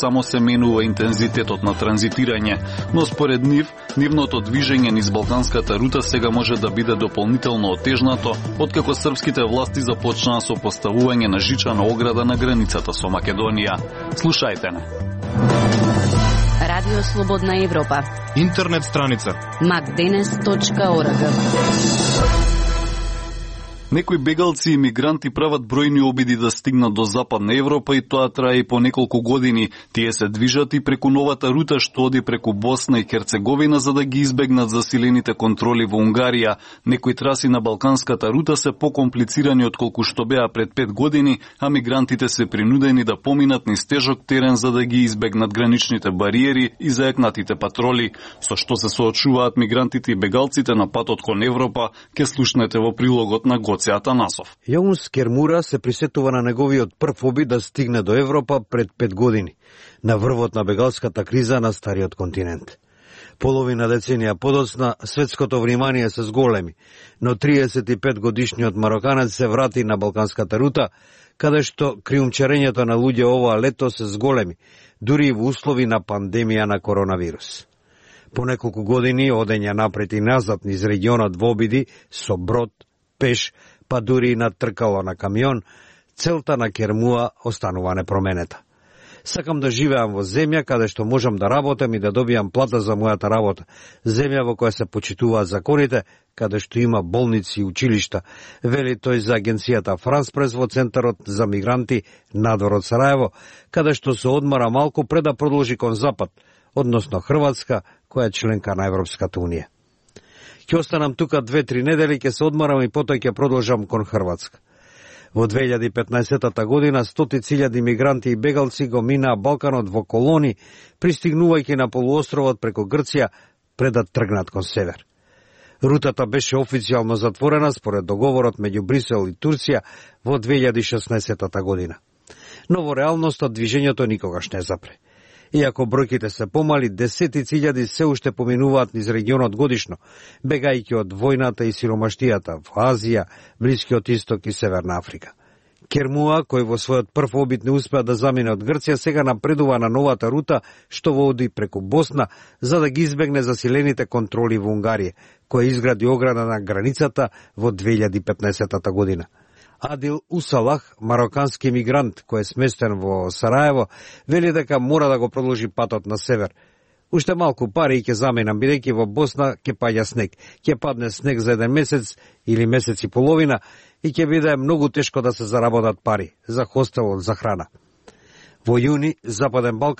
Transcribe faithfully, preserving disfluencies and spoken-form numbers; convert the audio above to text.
Само се менува интензитетот на транзитирање, но според нив, нивното движење низ Балканската рута сега може да биде дополнително отежнато, откако српските власти започнаа со поставување на жичана ограда на границата со Македонија. Слушајте не. Радио Слободна Европа. Интернет страница макденес точка орг. Некои бегалци и мигранти прават бројни обиди да стигнат до Западна Европа и тоа трае по неколку години. Тие се движат и преку новата рута што оди преку Босна и Херцеговина за да ги избегнат засилените контроли во Унгарија. Некои траси на Балканската рута се покомплицирани отколку што беа пред пет години, а мигрантите се принудени да поминат низ тежок терен за да ги избегнат граничните бариери и заекнатите патроли. Со што се соочуваат мигрантите и бегалците на патот кон Европа, ке слушнете во прилогот на Атанасов. Јаунс Кермура се присетува на неговиот прв обид да стигне до Европа пред пет години, на врвот на бегалската криза на стариот континент. Половина деценија подоцна, светското внимание се зголеми, но триесет и пет годишниот мароканец се врати на Балканската рута, каде што криумчарењето на луѓе оваа лето се зголеми, дури и во услови на пандемија на коронавирус. По неколку години одења напред и назад низ регионот во обиди со брод, пеш, па дури и на тркало на камион, целта на Кермуа останува непроменета. Сакам да живеам во земја каде што можам да работам и да добијам плата за мојата работа. Земја во која се почитуваат законите, каде што има болници и училишта, вели тој за агенцијата Франс Прес во Центарот за мигранти надвор од Сараево, каде што се одмара малку пред да продолжи кон Запад, односно Хрватска, која е членка на Европската унија. Ќе останам тука две-три недели, ќе се одмарам и потоа ќе продолжам кон Хрватска. Во две илјади и петнаесетата година стотици илјади мигранти и бегалци го минаа Балканот во колони, пристигнувајќи на полуостровот преку Грција пред да тргнат кон север. Рутата беше официјално затворена според договорот меѓу Брисел и Турција во две илјади и шеснаесетата година. Но во реалноста движењето никогаш не запре. Иако бројките се помали, десетици илјади се уште поминуваат низ регионот годишно, бегајќи од војната и сиромаштијата во Азија, Блискиот Исток и Северна Африка. Кермуа, кој во својот прв обид не успеа да замине од Грција, сега напредува на новата рута што води преку Босна за да ги избегне засилените контроли во Унгарија, која изгради ограда на границата во две илјади и петнаесетата година. Адил Усалах, марокански мигрант кој е сместен во Сараево, вели дека мора да го продолжи патот на север. Уште малку пари ќе заменам, бидејќи во Босна ќе паѓа снег. Ќе падне снег за еден месец или месец и половина и ќе биде многу тешко да се заработат пари за хостел, за храна. Во јуни Западен Балкан